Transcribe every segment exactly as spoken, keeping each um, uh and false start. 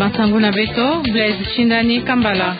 Masangu na beto, Blaise Shindani Kambala.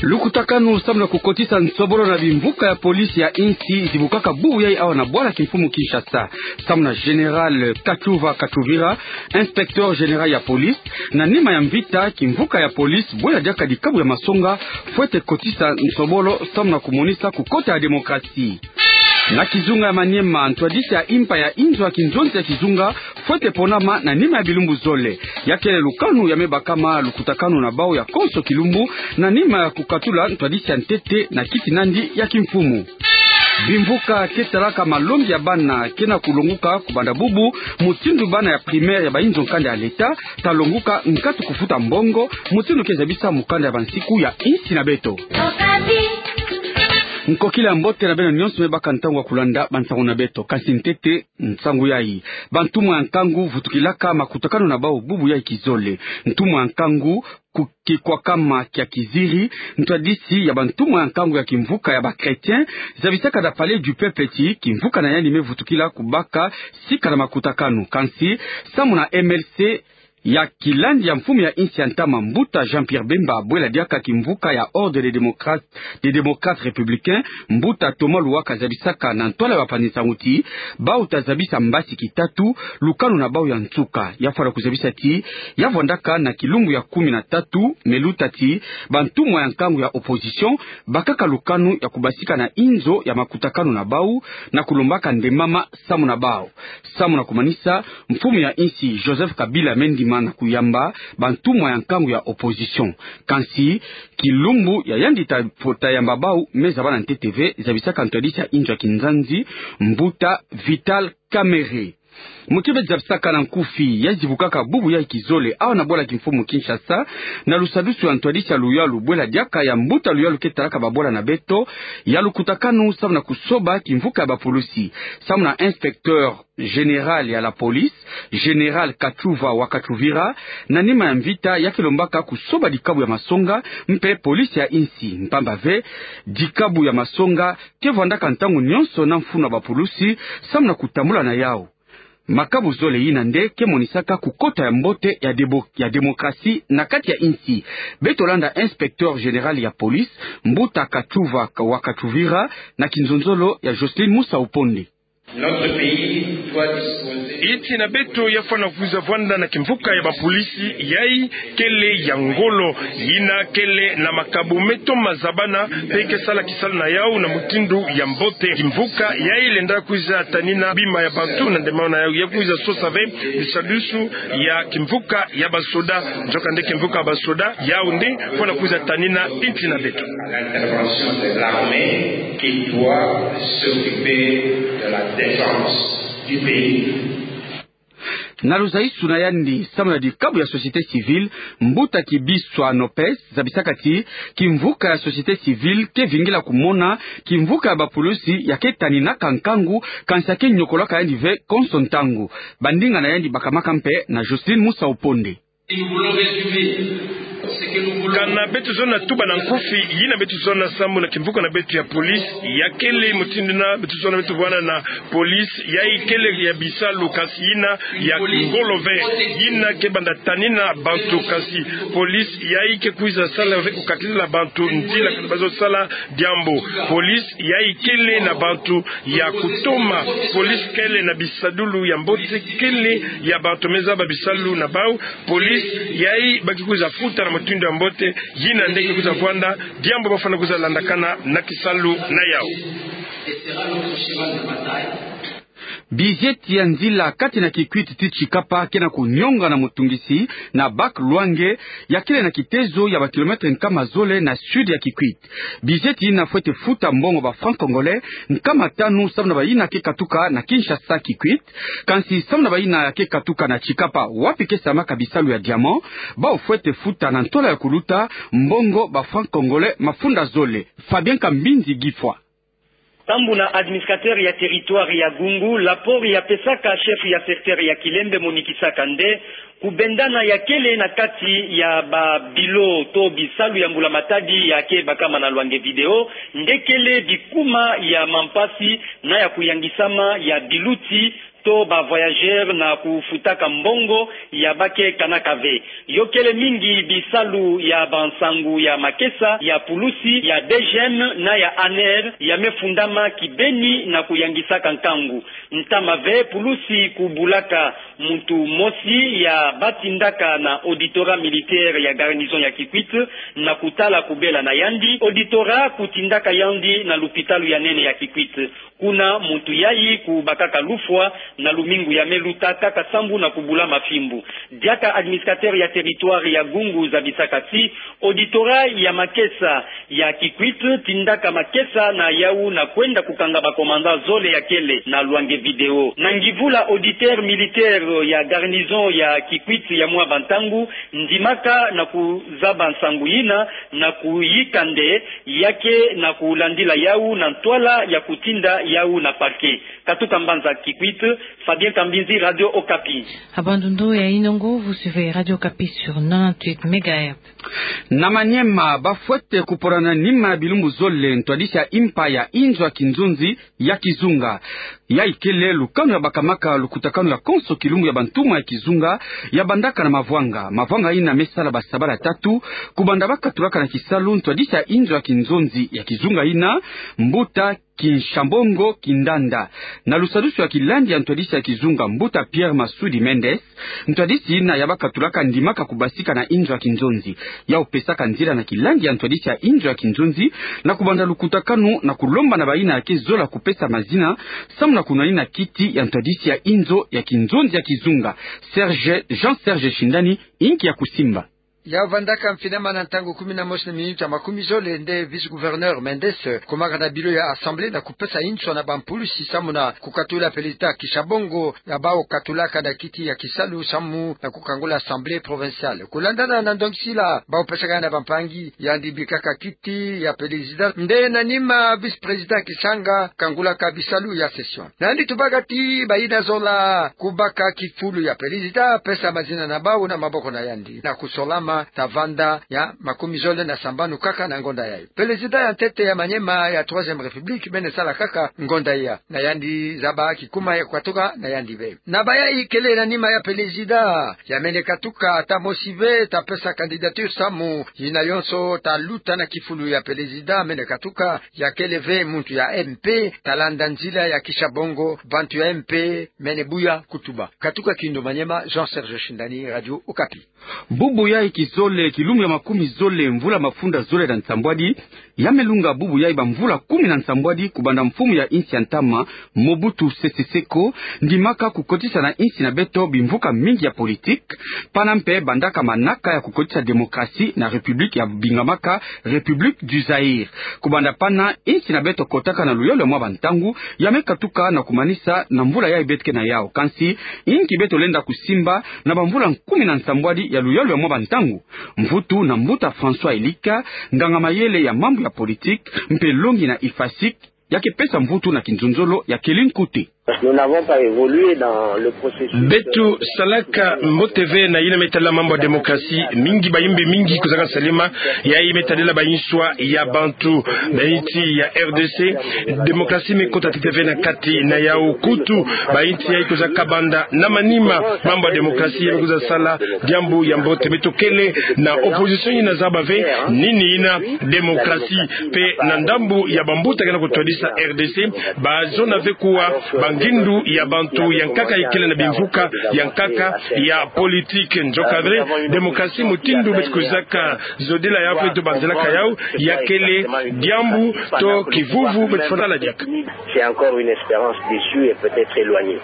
Lukutakanu samu na kukotisa nsobolo na bimvuka ya polisi ya insi zibukaka bubu yai awa na bwala kimfumu Kinshasa. Samu na Général Kachuva Kachuvira, inspecteur général ya polisi, na nima ya mvita, kimvuka ya polisi bwela diaka dikabu ya masonga fwete kotisa nsobolo samu na kumonisa kukota ya démocratie. Na kizunga ya Maniema, ntwadisi ya impa ya inzo ya kinzonzi ya kizunga fwete ponama na nima ya bilumbu zole. Ya kele lukanu ya me bakama lukutakanu na bau ya konso kilumbu, na nima ya kukatula ntwadisi ya ntete na kiti nandi ya kimfumu. Bimvuka ke talaka malongi ya bana ke na kulonguka kubanda bubu, mutindu bana ya primaire ya bainzo nkanda ya l'État ta longuka nkatu kufuta mbongo, mutindu ke zabisa mukanda ya bansiku ya insi na beto. Nkokila ya mbote na beno nyonso me baka ntangu ya kulanda bansangu na beto. Kansi ntete nsangu yai. Bantumwa ya nkangu vutukilaka makutakanu na bau bubu yai kizole. Ntumwa ya nkangu ku kikwakama kia kiziri, ntwadisi ya bantumwa ya nkangu ya kimvuka ya ba chrétiens zabisaka na Palais du Peuple ti kimvuka na yandi me vutukila kubaka sika na makutakanu. Kansi, samu na M L C ya kilandi ya mfumu ya insi ya ntama, mbuta Jean-Pierre Bemba, bwela diaka kimvuka ya Ordre des Démocrates, des Démocrates Républicains, mbuta Thomas Luwaka zabisaka na ntwala ya bapanzi nsangu ti bau ta zabisa mbasi kitatu lukanu na bau ya nsuka. Ya fwana kuzabisa ti ya vwandaka na kilumbu ya kumi na tatu me luta ti bantumwa ya nkangu ya opposition bakaka lukanu ya kubasika na inzo ya makutakanu na bau na kulombaka ndembama samu na bau. Samu na kumanisa, mfumu ya insi Joseph Kabila me ndima na kuyamba bantumwa ya nkangu ya opposition. Kansi, kilumbu ya yandi ta, ta yamba bau me zaba na ntete ve, zabisaka ntwadisi ya inzo ya kinzanzi, mbuta Vital Kamerhe. Muti beto zabisaka na nkufi, ya zibukaka bubu yai kizole awa na bwala kimfumu Kinshasa, na lusadusu ya ntwadisi ya luyalu bwela diaka ya mbuta luyalu ke talaka babwala na beto, ya lukutakanu samu na kusoba kimvuka ya bapulusi. Samu na inspecteur général ya la police, Général Kachuva wa Kachuvira, na nima ya mvita ya ke lombaka kusoba dikabu ya masonga mpe polisi ya insi, mpamba ve dikabu ya masonga ke vwandaka ntangu nyonso na mfunu ya bapulusi samu na kutambula na yau. Makabu zole yina nde ke monisaka kukota ya mbote ya debo-, ya démocratie na kati ya insi. Beto landa inspecteur général ya police, mbuta Kachuva wa Kachuvira, na kinzonzolo ya Jocelyne Musa Uponde. Notre pays doit disposer... Insi na beto ya fwana kwiza vwanda na kimvuka ya bapolisi yai kele ya ngolo, yina kele na makabu me toma zabana, mpe ke sala kisalu na yau na mutindu ya mbote. Kimvuka yai lenda kwiza tanina bima ya bantu na ndemana na yau, ya kwiza sosa ve bisadusu ya kimvuka ya basoda. Nzokande kimvuka ya basoda yau nde fwana kwiza tanina insi na beto. À l'intervention de l'armée qui doit s'occuper de la défense du pays. Na luzaisu na yandi samu na dikabu ya société civile, mbuta Kibiswa Nopes zabisaka ti kimvuka ya société civile ke vingila kumona kimvuka ya bapulusi ya ke taninaka nkangu, kansi ya ke nyokolaka yandi ve konso ntangu. Bandinga na yandi bakamaka mpe na Jocelyne Musa Uponde. Kana beto zona tuba na nkufi, yina beto zona samu na kimvuka na beto ya police ya kele mutindu yina beto zona beto vwanda na police yai kele ya bisalu, kansi yina ya ngolo ve, yina ke banda tanina bantu, kansi police yai ke kwiza sala ve kukatila bantu nzila kana bazo sala diambu. Police yai kele na bantu ya kutoma, police kele na bisadulu ya mbote, kele ya bantu me zaba bisalu na bau. Police yai ba ke kwiza futa na mutindu ya mbote, yina nde ke kwiza vwanda diambu ba fwana kwiza landakana na kisalu na yau. Bizieti ya nzila kati na Kikwit ti Tshikapa ke na kunyonga na mutungisi na Bak Lwange, ya kele na kitezo ya ba kilomètre nkama zole na sud ya Kikwit. Bizieti yina fwete futa mbongo ba francs congolais nkama tanu samu na bayina ke katuka na Kinshasa Kikwit, kansi samu na bayina ke katuka na Tshikapa, wapi ke salamaka bisalu ya diamant, bau fwete futa na ntola ya kuluta mbongo ba francs congolais mafunda zole. Fabien Kambinzi Gifwa. Sambu na administrateur ya territoire ya Gungu, rapport ya pesaka chef ya secteur ya Kilembe monikisaka nde kubendana ya kele na kati ya ba bilo to bisalu ya mbula-matadi ya ke bakama na Lwange Vidéo nde kele bikuma ya mampasi na ya kuyangisama ya biluti to ba voyageurs na kufutaka mbongo ya bake kanaka ve. Yo kele mingi bisalu ya bansangu ya makesa ya pulusi ya DGM na ya ANR ya me fundama kibeni na kuyangisaka nkangu. Ntama ve pulusi kubulaka muntu mosi ya batindaka na auditorat militaire ya garnison ya Kikwit na kutala kubela na yandi. Auditorat kutindaka yandi na lupitalu ya nene ya Kikwit. Kuna muntu yayi kubakaka lufwa na lumingu ya me luta kaka sambu na kubulama fimbu. Diaka administrateur ya territoire ya Gungu zabisaka ti auditorat ya makesa ya Kikwit tindaka makesa na yawu na kwenda kukanga ba commandant zole ya kele na lwange vidéo. Na ngivula auditeur militaire ya garnison ya Kikwit ya mwa bantangu ndimaka na kuzaba nsangu yina na kuyika nde ya ke na kulandila yawu na ntwala ya kutinda yawu na parquet. Katuka mbanza Kikwit, Fabien Kambinzi, Radio Okapi. Ha bandundu ya Inongo, vous suivez Radio Okapi sur nonante-huit mégahertz. Na Maniema, bafwete kupolana nima ya bilumbu zole ntwadisi ya impa ya inzo ya kinzonzi ya kizunga. Yayi kele lukanu ya bakamaka lukutakanu ya konso kilumbu ya bantumwa ya kizunga ya bandaka na mavwanga. Mavwanga yina me sala basabala tatu, kubanda bakatulaka na kisalu ntwadisi ya inzo ya kinzonzi ya kizunga yina, Mbuta Kinshabongo Kindanda. Na lusadusu ya kilandi ya ntwadisi ya kizunga Mbuta Pierre Masudi Mendes, ntwadisi yina ya bakatulaka ndimaka kubasika na inzo ya kinzonzi. Yau pesaka nzila na kilandi ya ntwadisi ya inzo ya kinzonzi na kubanda lukutakanu na kulomba na bayina ya ke zola kupesa mazina, samu na kunwanina kiti ya ntwadisi ya inzo ya kinzonzi ya kizunga. Serge, Jean Serge Shindani, inki ya kusimba. Ya vandaka mfinama na ntangu kumi na mosi na minuti ya makumi zole nde vice-gouverneur Mendes kumaka na bilo ya assemblée na kupesa inzo na bampulusi samu na kukatula pelezida Kinshabongo ya bau katulaka na kiti ya kisalu samu na kukangula assemblée provinciale. Kulandana na ndongisila bau pesaka na bampangi, yandi bikaka kiti ya pelezida nde na nima vice-président Kisanga kangulaka bisalu ya session. Na yandi tubaka ti bayina zola kubaka kifulu ya pelezida, pesa mazina na bau na maboko na yandi na kusolama ta vanda ya makumi zole na sambanu kaka na ngonda yayi. Pelezida ya ntete ya Maniema ya Troisième République mene sala kaka ngonda ya, na yandi zaba kikuma ya kukatuka na yandi ve. Na bayayi kele na nima ya pelezida, ya mene katuka ata mosi ve ta pesa candidature samu yina yonso ta luta na kifulu ya pelezida mene katuka, ya kele ve muntu ya MP ta landa nzila ya Kinshabongo, bantu ya MP mene buya kutuba. Katuka Kindu Maniema, Jean Serge Shindani, Radio Okapi. Bubu yayi kizole, kilumbu ya makumi zole, mvula mafunda zole na nsambwadi, ya me lunga bubu yayi bamvula kumi na nsambwadi kubanda mfumu ya insi ya ntama, Mobutu Sese Seko, ndimaka kukotisa na insi na beto bimvuka mingi ya politique, pana mpe bandaka manaka ya kukotisa démocratie na république ya bingamaka République du Zaïre. Kubanda pana, insi na beto kotaka na luyalu ya mwa bantangu, ya me katuka na kumanisa na mvula yayi beto ke na yau. Kansi, inki beto lenda kusimba na bamvula kumi na nsambwadi ya luyalu ya mwa bantangu? Mvutu na mbuta François Elika, nganga-mayele ya mambu ya politique, mpe longi na IFASIC, ya ke pesa mvutu na kinzonzolo ya kele nkute. Nous n'avons pas évolué dans le processus. Beto salaka mbote ve na yina me tadila mambu ya démocratie, mingi bayimbi mingi kozaka salema, yayi me tadila bayinswa ya bantu. Na insi ya RDC, démocratie me kota ntete ve na kati na yau. Kutu, bainsi yayi kozaka banda na manima, mambu ya démocratie ya me kwiza sala diambu ya mbote. Beto kele na opposition yina zaba ve nini yina démocratie. Mpe na ndambu ya bambuta ke na kutwadisa RDC, bazona ve kuwa bangindu ya bantu ya nkaka ikele na bimvuka ya nkaka ya politique. Nzoka ve, démocratie mutindu beto kwizaka zodila yau mpe beto banzelaka yau, ya kele diambu to kivuvu beto fwana diaka. C'est encore une espérance déçue et peut-être éloignée.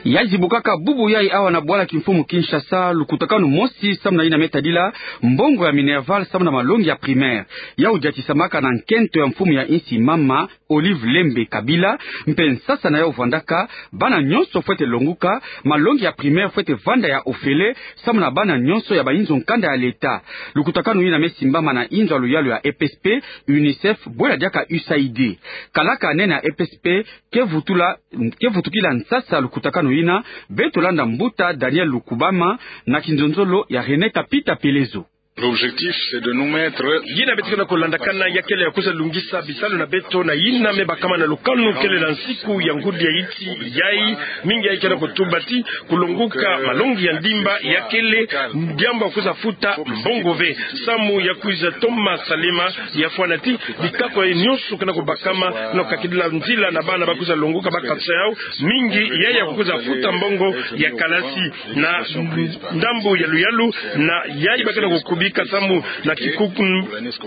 Ya zibukaka bubu yayi awa na bwala kimfumu Kinshasa lukutakanu mosi samu na yina me tadila mbongo ya minerval samu na malongi ya primaire. Yau diatisamaka na nkento ya mfumu ya insi mama Olive Lembe Kabila, mpe nsasa na yau vandaka, bana nyonso fwete longuka, malongi ya primaire fwete vanda ya ofele samu na bana nyonso ya bainzo nkanda ya l'État. Lukutakanu yina me simbama na inzo ya luyalu ya EPSP, UNICEF, bwela diaka USAID. Kalaka nene ya EPSP ke vutula, ke vutukila nsasa lukutakanu yina, beto landa mbuta Daniel Lukubama na kinzonzolo ya René Kapita Pelezo. L'objectif, c'est de nous mettre... Yina beto ke na kulandakana ya kele ya kwiza lungisa bisalu na beto na yina me bakama na lukanu kele na nsiku ya ngudi ya iti yayi. Mingi yayi ke na kutuba ti kulonguka malongi ya ndimba ya kele diambu ya kwiza futa mbongo ve. Samu ya kwiza toma salema ya fwana ti bikakwa nyonso ke na kubakama na kukakidila nzila na bana ba kwiza longoka bakatisa yawu. Mingi yayi ya kwiza futa mbongo ya kalasi na ndambu ya luyalu, na yayi ba ke na kukubika samu na kikuku,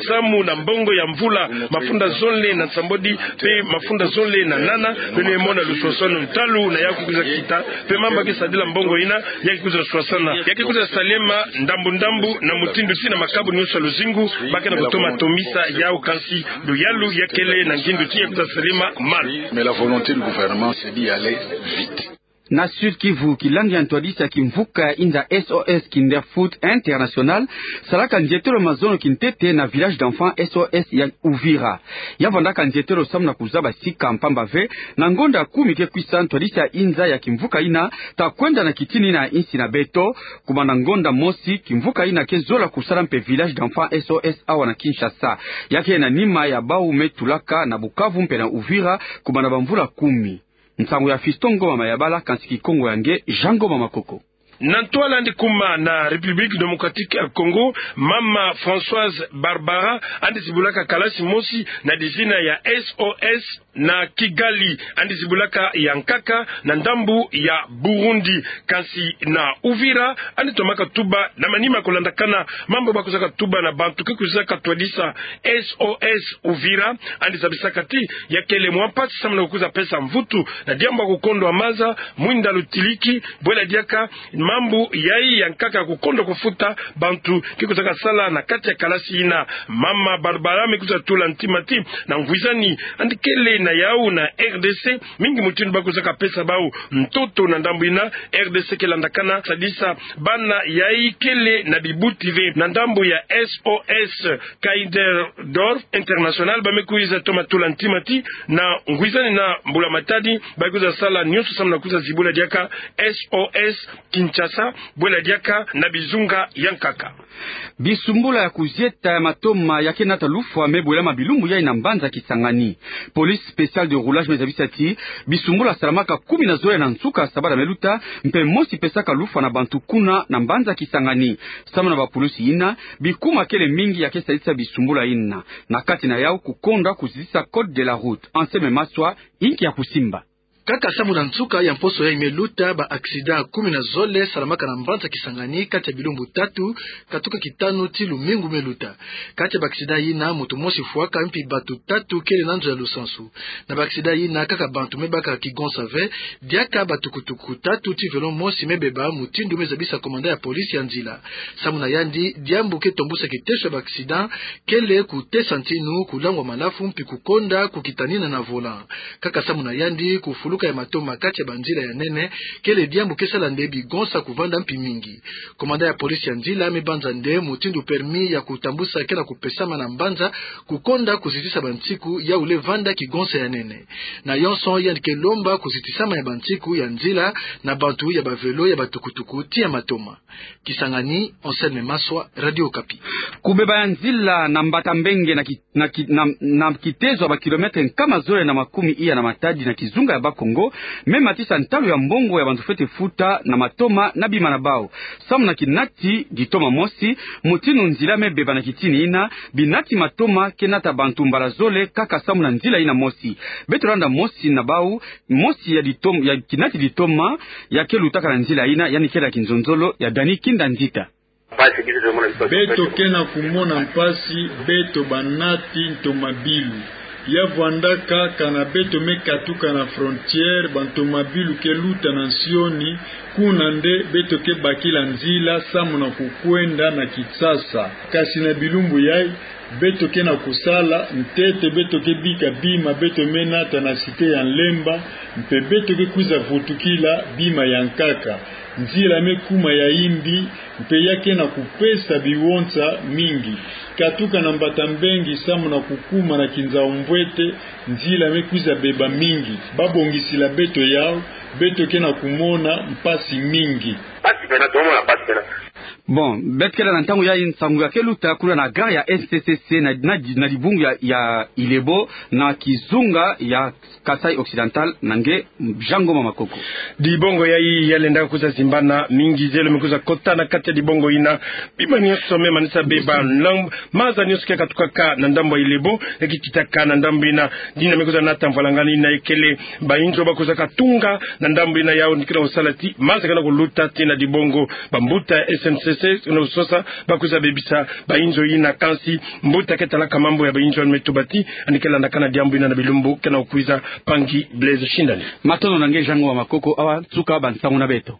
samu na mbongo ya mvula mafunda zole na nsambwadi mpe mafunda zole na nana. Beno mona luswaswanu ntalu na yawu ke kwiza kita, mpe mamba ke sadila mbongo yina ya ke kwiza swasana, ya ke kwiza salema ndambu ndambu na mutindu ti na makabu nyonso ya luzingu ba ke na kutoma tomisa yawu, kansi luyalu ya kele na ngindu ti ya kwiza salema malu. Mais la volonté du gouvernement, c'est d'y aller vite. Na Sud-Kivu, kilangi ya ntwadisi ya kimvuka ya inza S O S Kinderfoot International salaka nzietelo mazono kintete na village d'enfants S O S ya Uvira. Ya vandaka nzietelo samu na kuzaba sika mpamba ve na ngonda kumi ke kwisa, ntwadisi ya inza ya kimvuka yina ta kwenda na kitini yina ya insi na beto. Kumana ngonda mosi, kimvuka yina ke zola kusala mpe village d'enfants S O S awa na Kinshasa. Ya ke na nima ya bawu me tulaka na Bukavu mpe na Uvira kumana bamvula kumi. Nsangu ya Fiston Ngoma Mayabala, kansi Kikongo ya nge Jean Ngoma Makoko. Na ntwala yandi kuma na République Démocratique ya Congo, mama Françoise Barbara yandi zibulaka kalasi mosi na dizina ya S O S na Kigali, yandi zibulaka ya nkaka na ndambu ya Burundi. Kansi na Uvira, yandi tomaka tuba na manima kulandakana mambu ba kwizaka tuba na bantu ke kwizaka twadisa S O S Uvira, yandi zabisaka ti ya kele mwa mpasi samu na kukwiza pesa mvutu na diambu ya kukondwa maza, mwinda lutiliki, bwela diaka mambu yayi ya nkaka ya kukondwa kufuta bantu ke kwizaka sala na kati ya kalasi yina. Mama Barbara me kwiza tula ntima ti na ngwizani yandi kele na yawu na R D C, mingi mutindu ba kwizaka pesa bawu ntoto na ndambu yina. R D C ke landakana sadisa bana yayi kele na bibuti ve na ndambu ya S O S Kinderdorf International, ba me kwiza toma tula ntima ti na ngwizani na Mbula Matadi ba kwiza sala nyonso samu na kwiza zibula diaka S O S Kinshasa, bwela diaka na bizunga ya nkaka. Bisumbula ya kuzieta ya matoma ya ke nata lufwa me bwelama bilumbu yayi na mbanza Kisangani. Police spéciale de roulage me zabisa ti bisumbula salamaka kumi na zole na nsuka sabala me luta, mpe mosi pesaka lufwa na bantu kuna na mbanza Kisangani. Samu na bapulusi yina, bikuma kele mingi ya ke sadisa bisumbula yina. Na kati na yawu kukondwa kuzitisa code de la route. Anselme Maswa, inki ya kusimba. Kaka samu na nsuka ya mposo yayi me luta, ba accident kumi na zole salamaka na mbanza Kisangani kati ya bilumbu tatu, katuka kitanu ti lumingu me luta. Kati ya ba accident yina, muntu mosi fwaka, mpi bantu tatu kele na nzo ya lusansu. Na ba accident yina, kaka bantu me baka kigonsa ve, diaka batukutuku tatu ti vélo mosi me beba, mutindu me zabisa commandant ya police ya nzila. Samu na yandi, diambu ke tombusa kiteso ya ba accident kele kutesa ntinu, kulangwa malafu, mpi kukonda kukitanina na volant. Kaka samu na yandi, kufuluka ya matoma kati ya banzila ya nene kele diambu ke sala nde bigonsa kuvanda mpi mingi. Commandant ya police ya nzila me banza nde mutindu permis ya kutambusa ke na kupesama na mbanza, kukonda kuzitisa bansiku ya wule vanda kigonsa ya nene. Na yonso, yandi ke lomba kuzitisama ya bansiku ya nzila na bantu ya ba vélo, ya batukutuku ti ya matoma. Kisangani, Anselme Maswa, Radio Okapi. Kubeba ya nzila na Mbata Mbenge na ki-, na ki-, na, na kitezo ya ba kilomètre nkama zole na makumi iya na Matadi na kizunga ya Bas-Congo, me matisa ntalu ya mbongo ya bantu fwete futa na matoma na bima na bawu. Samu na kinati ditoma mosi, mutindu nzila me beba na kitini yina, binati matoma ke nata bantu mbala zole kaka samu na nzila yina mosi. Beto landa mosi na bawu, mosi ya ditom-, ya kinati ditoma ya ke lutaka na nzila yina, yandi kele ya kinzonzolo ya Dani Kinda Nzita. Beto ke na kumona mpasi, beto banati ntomabilu. Ya vwandaka kana beto me katuka na frontière, bantomabilu ke luta na nsioni, kuna nde beto ke bakila nzila samu na kukwenda na Kinshasa. Kasi na bilumbu yayi, beto ke na kusala, ntete beto ke bika bima beto me nata na cité ya Nlemba, mpe beto ke kwiza vutukila bima ya nkaka. Nzila me kuma ya yimbi, mpe ya ke na kupesa biwonsa mingi. Katuka na Mbata Mbenge samu na kukuma na Kinzau Mbwete, nzila me kwiza beba mingi. Ba bongisila beto yawu, beto ke na kumona mpasi mingi. Mpasi pena, tomona mpasi pena. Bon, beto kele na ntangu ya nsangu ya ke luta kuna na gare ya S N C C na, na, na dibungu ya, ya Ilebo, na kizunga ya Kasaï Occidental, na nge Jean Ngoma Makoko. Dibongo yayi ya lenda kwiza zimbana, mingi zelo me kwiza kota na kati ya dibongo yina. Bima nyonso me manisa beba, na maza nyonso ke katukaka na ndambu ya Ilebo, ya ke kitaka na ndambu yina, dina me kwiza nata mvalangani yina ikele, bainzo ba kwizaka tunga na ndambu yina, yawu ni ke na sala ti maza ke na kuluta ti na dibongo, bambuta ya S N C C, na kusosa, ba kwiza bebisa bainzo yina, kansi mbuta ke talaka mambu ya bainzo yandi me tuba ti yandi ke landaka na diambu yina na bilumbu ke na kwiza. Mpangi Blaise Shindani. Matondo na nge Jean Ngoma Makoko, awa nsuka bansangu na beto.